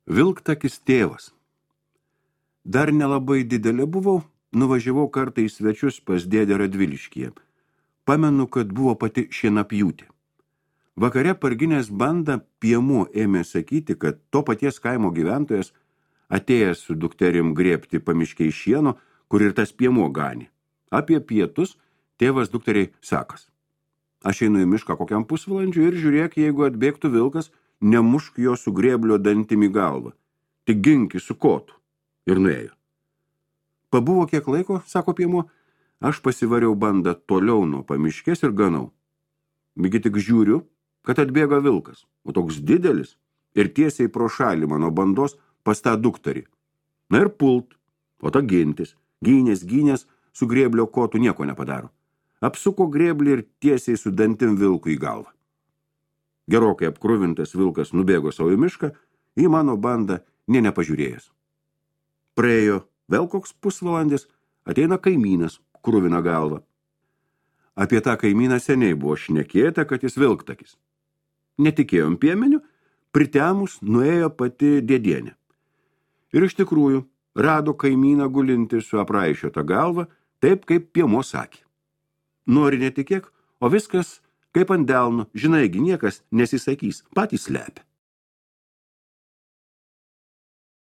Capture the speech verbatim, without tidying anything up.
Vilktakis tėvas. Dar nelabai didelė buvau, nuvažiavau kartą į svečius pas dėdę Radviliškyje. Pamenu, kad buvo pati šienapjūtė. Vakare parginės bandą Piemu ėmė sakyti, kad to paties kaimo gyventojas atėjęs su dukterim grėbti pamiškiai šieno, kur ir tas Piemuo ganė. Apie pietus tėvas dukteriai sakas. Aš einu į mišką kokiam pusvalandžiu ir žiūrėk, jeigu atbėgtų vilkas, nemušk jo su grėblio dantim į galvą. Tik ginki su kotu. Ir nuėjo. Pabuvo kiek laiko, sako Piemuo, aš pasivariau bandą toliau nuo pamiškės ir ganau. Migi tik žiūriu, kad atbėga vilkas, o toks didelis ir tiesiai pro šalį mano bandos pas tą dukterį. Na ir pult, o ta gintis, gynės, gynės, su grėblio kotu nieko nepadaro. Apsuko grėblį ir tiesiai su dantim vilkui į galvą. Gerokai apkruvintas vilkas nubėgo savo į mišką, į mano bandą nė nepažiūrėjęs. Praėjo vėl koks pusvalandis, ateina kaimynas, kruvina galvą. Apie tą kaimyną seniai buvo šnekėta, kad jis vilktakis. Netikėjom piemeniu, pritemus nuėjo pati dėdienė. Ir iš tikrųjų rado kaimyną gulinti su apraišiota galva, taip kaip Piemuo sakė. Nori netikėk, o viskas kaip ant delno, žinaigi niekas nesisakys, patys slepia.